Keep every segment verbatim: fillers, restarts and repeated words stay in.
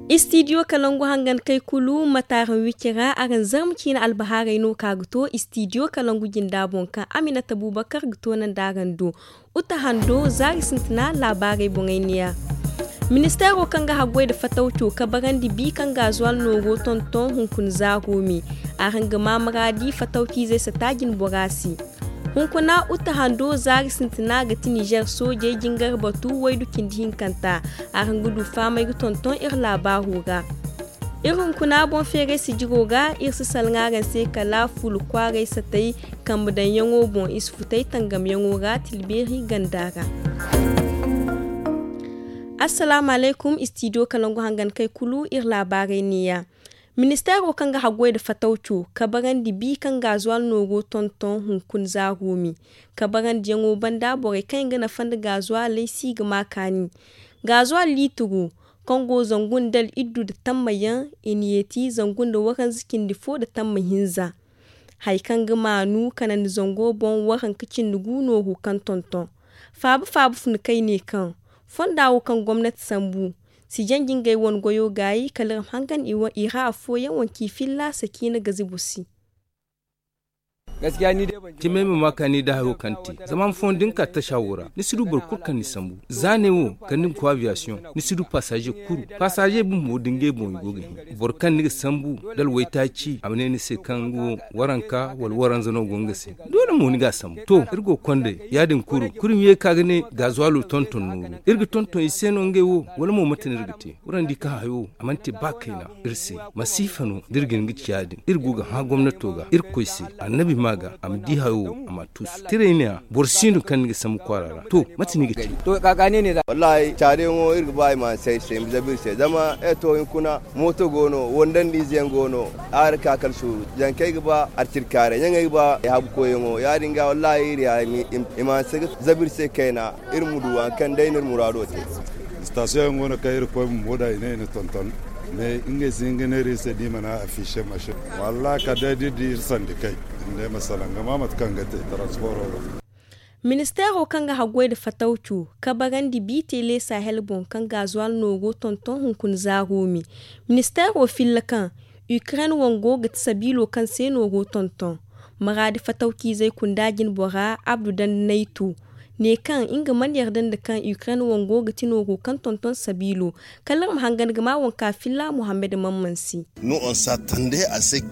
Istidiyo kalangu hangan kay kulu mataaraŋ wiki ra araŋ zarma ciine albahaarey no ka ga to istidiyo kalangu jinda boŋ kaŋ aminata bubakar ga toonandi araŋ do. Uta hando zaari sintina laabaarey boŋey neeya. Ministeero kaŋ ga haggoy nda fatawco kabarandi bi kaŋ gaazuwal nooro tonton hunkuna zaaro me. Araŋ ga ma maraadi fatawciizey sata jinbora se. Hunkuna uta hando zaari sintina ga ti nizer soojey jingar batu waydu cindi hinkanta. Araŋ ga du fahamey ga tonton iri laabaaro ra. Iri hunkuna boŋ feeray sijiro ra iri si salŋa araŋ se kala fuula kwaaray satay kambe daŋyaŋo boŋ i si futay tangamyaŋo ra tilbeeri ganda ra. Assalaamu alaykum istidiyo kalangu hangan kay kulu iri laabaarey neeya. Ministeero kaŋ ga haggoy nda fatawco kabarandi bi kaŋ gaazuwal nooro tonton hunkuna zaaro me. Kabarandiyaŋo banda borey kaŋ i ga nafa nda gaazuwaley si ga ma kaani. Gaazuwal liitiro kaŋ go zangu nda al'iddu nda tammayaŋ i na yeeti zangu nda waranza cindi fo nda tamma hinza. Hari kaŋ ga maanu kanandi zango boŋ waranka cindi gu nooru kaŋ tonton. Faaba faaba funa kay ne kaŋ fonda wo kaŋ gomnati sambu si janji ngey wane goyo gaayi kala iri ma hangan i ra afooyaŋ wanci filla sakiina gazibu se. Cimay ma ma kaani nda hayo kaŋ te zama ma fondo ni ka taasa wo ra ni si du boro kulu kaŋ ni sambu. Za ne wo kala ni ma koy abiyasiyoŋ ni si du pasaaze kulu. Pasaaze bumbo da ngey boŋ i go ga hin boro kaŋ ni ga sambu da alwaytaaci a ma ne ni se kaŋ nga wo waranka wala waranza no go nga se. Doole mo ni ga a sambu to iri go ga konday ya- din kulu kulu ma ye ka ga ne gaazuwaalo tonton nooru iri ga tonton i se no ngey wo? Wala mo mate no iri ga te? Waraŋ di kaŋ hayo a mana te ba kayna iri se. Masiifa no da iri ga hin ga ci ya- din iri go ga hã gomnato ga irkoy se annabi ma ga a ma di hayo wo a ma a tuusu tiray ne ya boro si no kaŋ ni ga sambu kwaara ra to mate no i ga te? Wallaahi caariyaŋo iri ga ba i ma say se i ma zabu iri se zama ay to hinkuna mooto go no wandandi ize yaŋ go no. Aari ka kala suuru zankey ga ba arcirkaaray ɲaŋey ga ba ay habu koyyaŋo ya- din ga wallaahi iri ya i ma hanse ga zabu iri se kayna. Iri ma du hari kaŋ day no iri muraado te. Istasiyoŋ yaŋ go no kaŋ iri koy bumbo da i ne i na tonton mais ngey si hin ga neera iri se da i mana afiise masin. Wallaahi kala day da iri di iri sandi kay. Iri ne ma salaŋ ga ma mate kaŋ ga te taransiporo ga. Ministeero kaŋ ga haggoy nda fatawco kabarandi bi teele sahel boŋ kaŋ gaazuwaal nooro tonton hunkuna zaaro me. Ministeero filla kaŋ ukraine wango ga ti sabiilo kaŋ se nooro tonton. Maraadi fatawciizey kunda jinbora abdu dandi naytu ne kaŋ nga mana yarda nda kaŋ ukraine wango ga ti nooro kaŋ tonton sabiilo. Kala iri ma hangan ga ma wanka filla muhammad mamman se.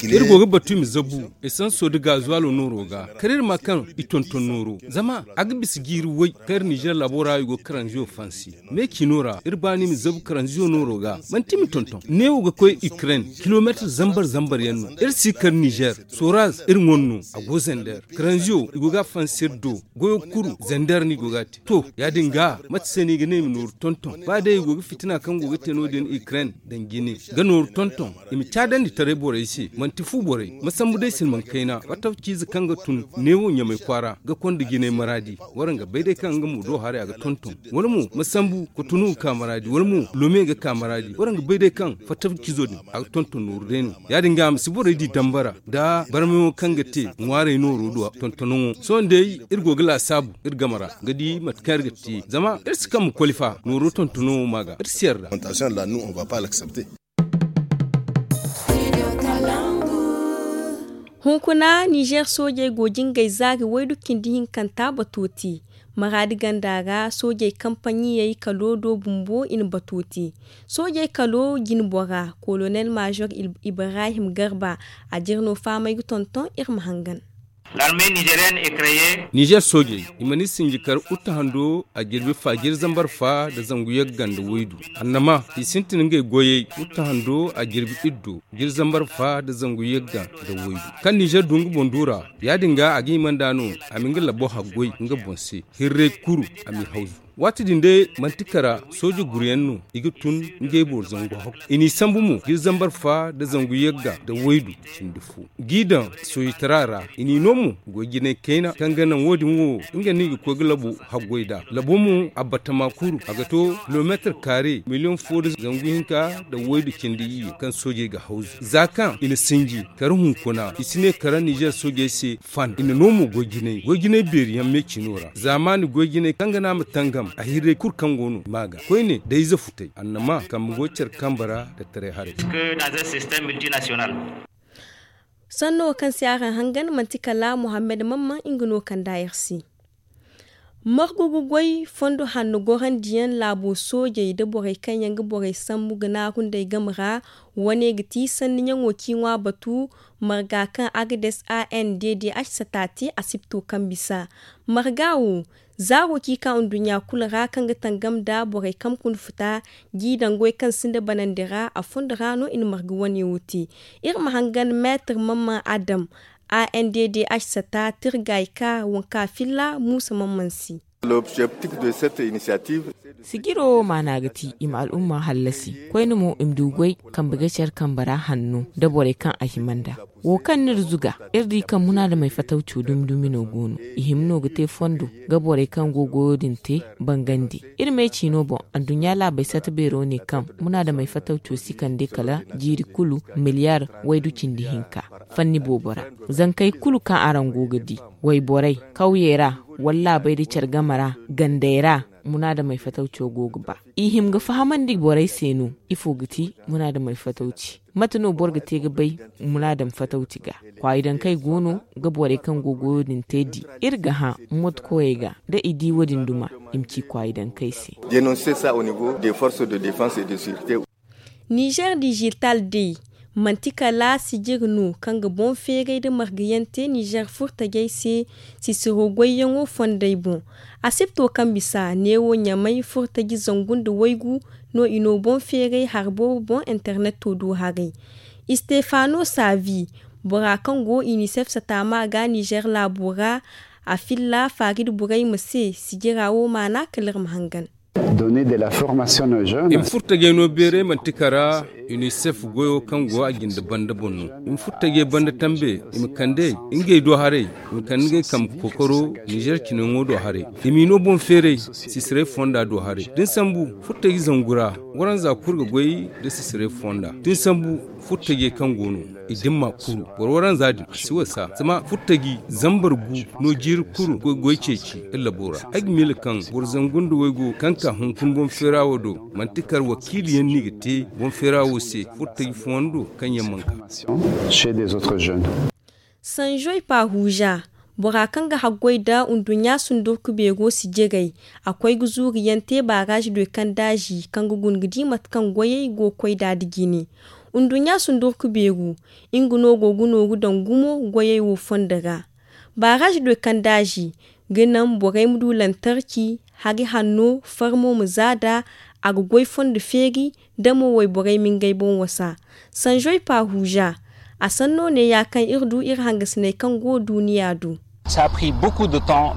Iri go ga batu i ma zabu esanso nda gaazuwaalo nooro ga kala iri ma kaŋ i tonton nooro zama a ga bisa jiiri way kaŋ iri nizer laabo ra i go ga karanziyo fansi. Me ciino ra iri baani i ma zabu karanziyo nooro ga manti i ma tonton neewo ga koy ukraine kilomeetir zambar zambar yaŋ no iri si kar nizer. Soraz iri ŋwa no a go zander karanziyo i go ga a fansi iri do. Goyo kulu zander no i go ga a te to ya- din ga mate se no i ga ne i ma nooru tonton ba day i go ga fitina kaŋ go ga te no- din ukraine daŋ jine ga nooru tonton. I ma caadandi taray borey se manti fu borey ma sambu day silmaŋ kayna fatta ciize kaŋ ga tun neewo ɲamay kwaara ga konda jinay maraadi. Waraŋ ga bay day kaŋ nga mo do haray a ga tonton wala mo ma sambu kotonu ga ka maraadi wala mo lome ga ka maraadi waraŋ ga bay day kaŋ fatta ciizo din a ga tonton nooru day no. Ya- din ga a ma si borey di dambara nda barmayaŋo kaŋ ga te ŋwaarey nooro do tontonaŋo sohõ day iri go ga laasaabu iri game ra ga di mate kaŋ iri ga te zama iri si kambe koli fa nooro tontonaŋo ma ga iri si yarda. Hunkuna nizer soojey go jingay zaari waydu cindi hinkanta bato te. Maraadi ganda ra soojey kampaɲiyey kalo do bumbo i na bato te. Soojey kalo jinbora kolonel maazor ibrahim garba a jire no fahamey ga tonton iri ma hangan. Nizer soojey i mana i sinji kar uta hando a jirbi fa jiri zambar fa nda zangu yagga nda waydu. Annama i sintin ngey goyey uta hando a jirbi iddo jiri zambar fa nda zangu yagga nda waydu. Kaŋ nizer du nga boŋ duura ya- din ga a ga hima nd'a no a ma nga labo haggoy nga boŋ se. Hirrey kuru a m'i hawzu. Waati din day manti kara sooje guruyaŋ no i ga tun ngey boro zangu hakku i n'i sambu mo jiri zambar fa nda zangu yagga nda waydu. Cindi fo g'i daŋ soojetara ra i n'i no mo goy jinay kayna kaŋ ga naŋ wo- din wo nga no i ga koy ga labo haggoy nd'a labo mo a batama kuru a ga to kilomeetir kaare miliyoŋ fo nda zangu hinka nda waydu cindi iyye kaŋ soojey ga hawzu za kaŋ i na sinji kara hunkuna i si ne kara nizer soojey se. Fan i na no mo goy jinay goy jinay beeri yaŋ me cino ra zaamaani goy jinay kaŋ ga naŋ a ma tangam. A hirray kulu kaŋ go no i ma ga koyne da ize futay annama kambe go care kambe ra da taray haray. Sanno wo kaŋ se araŋ hangan manti kala muhammad mamman nga no kand'a yer se. Margu ga goy fondo hanno gorandiyaŋ laabo soojey nda borey kaŋ yaŋ ga borey sambu ga naaru nd'ey game ra. Wane ga ti sanniyaŋo kaŋ i ŋwa batu marga kaŋ agades a n d d h sata te asibto kaŋ bisa. Marga wo zaaro kaŋ i ka nduɲɲa kulu ra kaŋ ga tangam nda borey kaŋ kuna futa g'i daŋ goy kaŋ sinda banandi ra a fondo ra no i na marga wane wo te. Iri ma hangan meetir mamman adam a n d d h sata tirgay ka wanka filla muusa mamman se. Sijiro wo maana ga ti i ma al'umma hallasi koyne mo i ma du goy kambe ga care kambe ra hanno nda borey kaŋ a hima nd'a. Wo kaŋ no iri zuga iri di kaŋ munaadamey fatawco dumi dumi no go no. I hima no ga te fondo ga borey kaŋ go goyo din te bangandi. Iri me ciino boŋ anduɲɲa laabey sata beero ne kaŋ munaadamey fatawco si kande kala jiiri kulu miliyar waydu cindi hinka fanni boobo ra. Zankey kulu kaŋ araŋ go ga di wayborey kawyey ra wala laabey nda care game ra gandey ra munaadamey fatawco go ga ba. I hima ga fahamandi borey se no ifo ga ti munaadamey fatawci? Mate no boro ga te ga bay munaadam fatawci ga? Kwaayidankey go no ga borey kaŋ go goyo din te di. Iri ga hã mootikoyey ga da i di wo- din duma i ma ci kwaayidankey se. Nizer digital day manti kala sijir no kaŋ ga boŋ feeray nda margayaŋ te nizer furtajey se. Sisiro goyyaŋo fondey boŋ asibto kaŋ bisa neewo ɲamay furtaji zangu nda waygu no i no boŋ feeray hari boobo boŋ interneto do haray. Istefano savi bora kaŋ go inisef sataama ga nizer laabo ra a filla faaridi burey ma se sijira wo maana kala iri ma hangan. I ma furtajey no beeray manti kara unicef goyo kaŋ go a jinde banda boŋ no. I ma furtajey banda tambe i ma kande ngey do haray i ma kande ngey kambe kookaro nizer cinayaŋo do haray. I m'i no boŋ feeray sisiray fonda do haray da ni sambu furtaji zangu ra waranza kulu ga goy nda sisiray fonda da ni sambu furtajey kaŋ go no i dimma kuru boro waranza din a si wasa zama furtaji zambar gu no jiiri kulu goy ceeci iri labo ra. Ay ga miila kaŋ boro zangu nda waygu kaŋ ka hunkuna boŋ feera wo do manti kar wakiiliyaŋ no i ga te boŋ feera wo se furtaji fooyaŋ do kaŋ yaŋ mana ka. Sanjoy pahuja bora kaŋ ga haggoy nda nduɲɲa sundurku beero si jiray a koy ga zuuriyaŋ te baaraazi doy kaŋ daazi kaŋ ga guna ga di mate kaŋ goyey go ga koy nd'a nda jine. Nduɲɲa sundurku beero nga no go ga nooru daŋ gumo goyey wo fondo ra. Baaraazi doy kaŋ daazi ga naŋ borey ma du lantarki hari hanno farmo ma za nd'a a ga goy fondo feeri da mo wayborey ma ngey boŋ wasa. Sanjoy pahuja a sanno neeya kaŋ iri du iri hangasiney kaŋ go duuniya do.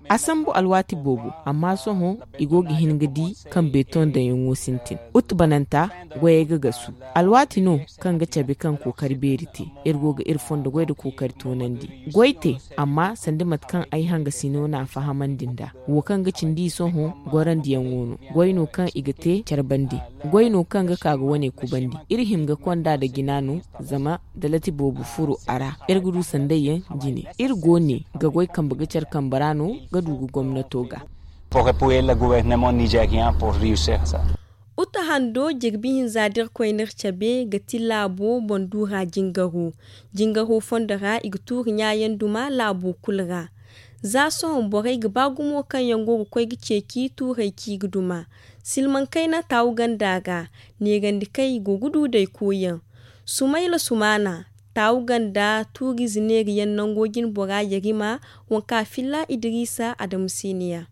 A sambu alwaati boobo amma sohõ i go ga hin ga di kaŋ beetoŋ daŋyaŋo sintin. Ut bananta goyey ga gasu alwaati no kaŋ ga cabe kaŋ kookari beeri te. Iri go ga iri fondo goy nda kookari toonandi goy te amma sanda mate kaŋ ay hangasino n'a fahamandi nd'a wo kaŋ ga cindi i sohõ gorandiyaŋo no. Goy no kaŋ i ga te care bande goy no kaŋ ga ka ga wane kubandi. Iri hima ga konda nda jina no zama da lati boobo furo a ra iri ga du sandayyaŋ jine. Iri go ne ga goy kambe ga care kambe ra no ga du ga gomnato ga. Uta hando jirbi hinza da iri koy n'iri cabe ga ti laabo boŋ duura jingaro. Jingaro fondo ra i ga tuuri ɲaayaŋ duma laabo kulu ra. Za sohõ borey ga ba gumo kaŋ yaŋ go ga koy ga ceeci tuurey kaŋ i ga duma silmaŋ kayna taawu ganda ra. Neerandi kaŋ i go ga du day koyyaŋ sumayla sumaana taawu ganda tuurize neeriyaŋ nango jine bora yarima waŋ kaŋ a filla idiriisa adamu se ne ya.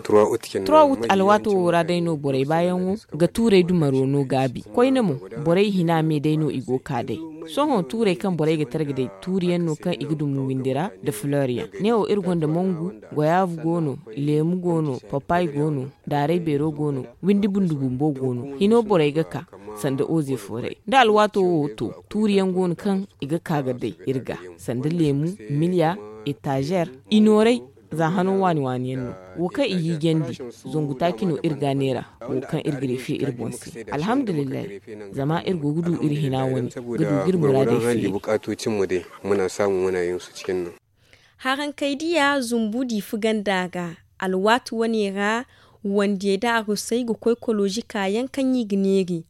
Trois août alwaato wo ra day no borey baayaŋo ga tuurey dumaro no gaabi koyne mo borey hina me day no i go ga ka day. Sohõ tuurey kaŋ borey ga targa day tuuriyaŋ no kaŋ i ga dumu windi ra nda fleur yaŋ ne wo iri gonda mangu goyaavu go no, leemu go no, papaay go no, daaray beero go no, windi bundu bumbo go no hino borey ga ka sanda oze fooray nda alwaato wo to tuuriyaŋ go no kaŋ i ga ka ga day iri ga sanda leemu, miliya, etazer, i nooray. Za hano waani waani yaŋ no wo kaŋ i hiijandi zangu taaci no iri ga neera wo kaŋ iri ga reefe iri boŋ se. Alhamdulillahi zama iri go ga du iri hina wane ga du ga iri muraadey feeri. Harankey diya zumbu diifa ganda ga. Alwaati wane ra, wandiyey nda arusey ga koy kolozi kaayaŋ kaŋ i ga neeri,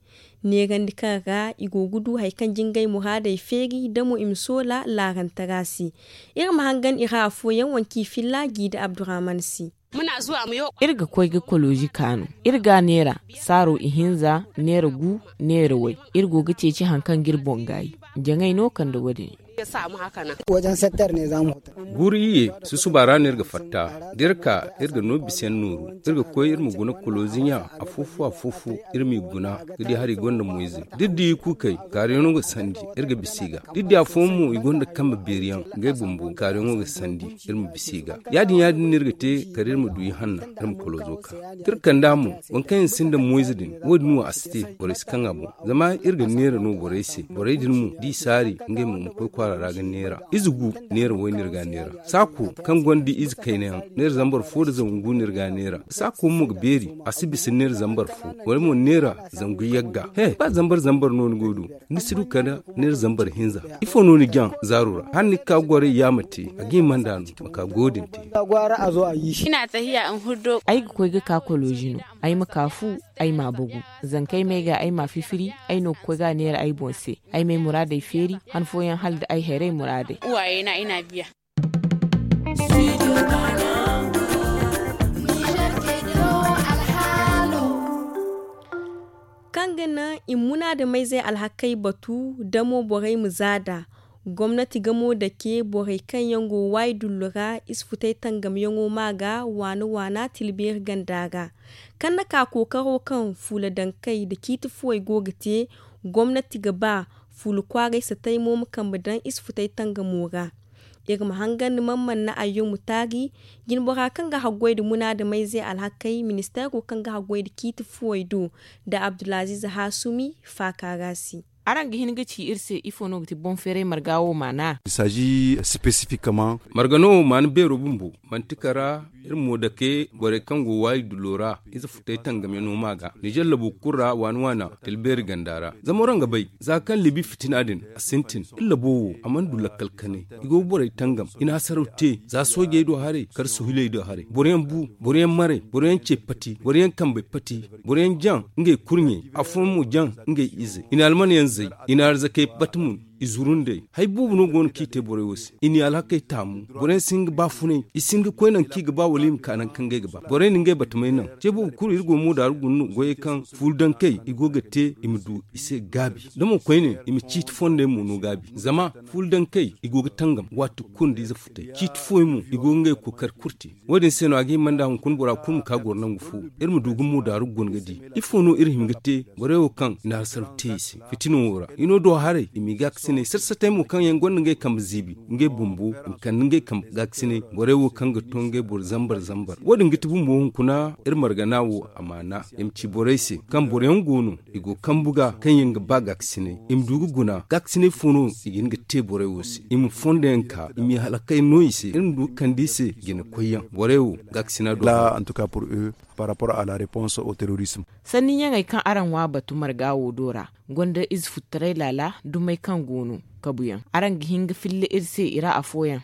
neerandi kaŋ ra i go ga du hari kaŋ jingay muraadey feeri da mo i ma soola laarantara se. Iri ma hangan i ra afooyaŋ wanki filla jiida abdurahman se. Iri ga koy ga kolozi kaanu. Iri ga a neera saaro ihinza, neera gu, neera way. Iri go ga ceeci hari kaŋ ga iri boŋ gaayi. Jaŋay no kande wo- din. Guuru iyye, susuba ra no iri ga fatta. Da iri ka, iri ga no bisa yaŋ nooru. Iri ga koy iri ma guna kolozi ɲa, afo-fo afo-fo, iri m'i guna. Ga di hari gonda moyze, da iri di i kuukey, kaaruyaŋo ga sandi. Iri ga bisa i ga da iri di afooyaŋ mo i gonda kambe beeri yaŋ, ngey bumbo kaaruyaŋo ga sandi. Iri ma bisa i ga. Ya- din ya- din no iri ga te, kala iri ma du ihanna, iri ma kolozo ka. Da iri kand'a mo, waŋ kaŋ yaŋ sinda moyze din, wo- din wo a si te, borey si kaŋ a boŋ. Zama iri ga neera no borey se, borey din mo da i saari, ngey mo ma koy kwaara ra ga neera. Ize gu, neera way no iri ga a neera. Saako kaŋ gonda ize kayna yaŋ, neera zambar fo nda zangu gu no iri ga a neera. Saako mo ga beeri, a si bisa neera zambar fo, wala mo neera zangu yagga. He, ba zambar zambar no ni go ga du, ni si du kala neera zambar hinza. Ifo no ni jaŋ zaaro ra? Hala ni ga ka goray yaama te, a ga hima nd'a no ma ka go din te. Ay ga koy ga ka kolozi no. Ay ma ka fu, ay m'a bagu. Zankey m'ay ga, ay m'a fifiri. Ay no ga koy ga a neera ay boŋ se. Ay m'ay muraadey feeri, han fooyaŋ hala da ay hayrey muraadey. Kaŋ ga naŋ i ma munaadamayzey alhakey batu, damo borey ma zaada. Gomnati gamo dake borey kaŋ yaŋ go waayi dullu ra, ize futey tangamyaŋo ma ga waana-waana tilbeeri ganda ra. Kaŋ na ka kookaro kaŋ fuula dankey nda ciiti fuwey go ga te, gomnati ga ba fuula kwaaray satay mo ma kambe daŋ ize futey tangamo ra. Iri ma hangan ni mana mana na ayyo mutaari, jinbora kaŋ ga haggoy nda munaadamayze alhakey ministeero kaŋ ga haggoy nda ciiti fuwey do, nda abdulaziiz haasumi faaka ra se. Araŋ ga hin ga ci iri se ifo no ga ti boŋ feeray marga wo maana? Marga no wo maana beero bumbo manti kara. Iri mo dake borey kaŋ go waayi dullo ra, ize futay tangamyaŋo ma ga nizer labo kulu ra waana-waana tilbeeri ganda ra. Zama waraŋ ga bay, za kaŋ libi fitina din a sintin, iri labo wo a mana du lakkal kanay. I go ga borey tangam, i na hasaraw te, za soojey do haray kala suhiley do haray. Boroyaŋ bu, boroyaŋ maray, boroyaŋ ce pati, boroyaŋ kambey pati, boroyaŋ jaŋ ngey kurɲey, afooyaŋ mo jaŋ ngey izey. I na almanyaŋ zay, i na arzakey bata mun, i zuru nd'ey. Hari boobo no go no kaŋ i te borey wo se. I n'i alhakey taamu. Boroyaŋ si hin ga baafunay, i si hin ga koy nangu kaŋ i ga ba wala i ma ka nangu kaŋ ngey ga ba. Borey na ngey batamey naŋ. Ce boobo kulu iri go ga moodaaru guna no goyey kaŋ fuula dankey i go ga te i ma du i se gaabi. Da mo koyne i ma ciiti fondey mo no gaabi. Zama fuula dankey i go ga tangam waati kulu nda ize futay. Ciiti fooyaŋ mo i go ga ngey kookari kulu te. Wo- din se no a ga hima nd'a hunkuna bora kulu ma ka goro nangu fo. Iri ma du ga moodaaru guna ga di ifo no iri hima ga te borey wo kaŋ i na hasaraw te i se fitino wo ra. I no do haray i m'i gaakasinay sata-satay mo kaŋ yaŋ gonda ngey kambe ziibi, ngey bumbo i ma kande ngey kambe gaakasinay. Borey wo kaŋ ga to ngey boro zambar-zambar, wo- din ga ti bumbo hunkuna iri margana wo amaana. I ma ci borey se kaŋ boroyaŋ go no i go kambu ga kaŋ yaŋ ga ba gaakasinay, i ma du ga guna gaakasinay fo no i ga hin ga te borey wo se. I ma fondo yaŋ ka, i m'i halakay no i se, iri ma du ga kande i se jina koyyaŋ. Borey wo gaakasina do. Là en tout cas pour eux, par rapport à la réponse au terrorisme. Sanni ɲaŋey kaŋ araŋ ŋwa batu marga wo do ra, gonda ize futtaray laala dumey kaŋ go no kabuyaŋ. Araŋ ga hin ga filla iri se i ra afooyaŋ.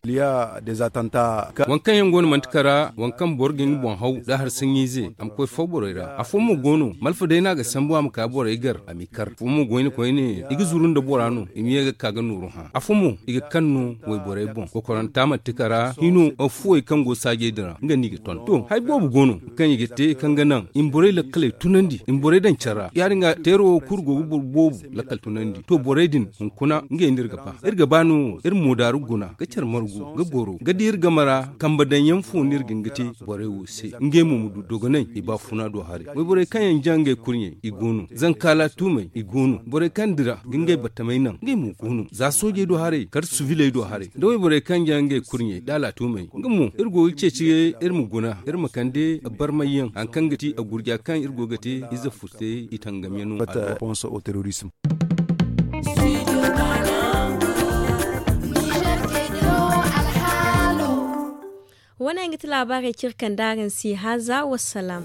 Waŋ kaŋ yaŋ go no manti kara waŋ kaŋ boro ga hin ga boŋ haw nda hari saɲɲiize a ma koy fo borey ra. Afo mo go no malfa day no a ga sambu a ma ka borey gar a m'i kar. Afo mo goyne koyne i ga zuru nda bora no i ma ye ga ka ga nooru hã. Afo mo i ga kaŋ no wayborey boŋ kokoranta manti kara hino. Afuwey kaŋ go saajey din ra nga no i ga ton to hari boobo go no kaŋ i ga te kaŋ ga naŋ i ma borey lakkaley tunandi i ma borey daŋ care ra ya- din ga teero wo kulu go ga boro boobo lakkal tunandi to borey din hunkuna ngey no iri ga ba iri ga ba no iri moodaaru guna ga care margu ga goro ga di iri game ra. Kambe daŋ yaŋ fo no iri ga hin ga te borey wo se ngey mo ma du dogonay i baafuna do haray wayborey kaŋ yaŋ jaŋ ngey kurɲey i go no zanka laatuumey i go no borey kaŋ dira ga ngey battamey naŋ ngey mo go no za soojey do haray kala suviley do haray da wayborey kaŋ jaŋ ngey kurɲey da laatuumey nga mo iri go ga ceeci iri ma guna iri ma kande barmayyaŋ hari kaŋ ga ti a gurja kaŋ iri go ga te ize furtey i tangamyaŋo. Wane yaŋ ga ti laabaarey kaŋ iri kande araŋ se haza wassalaam.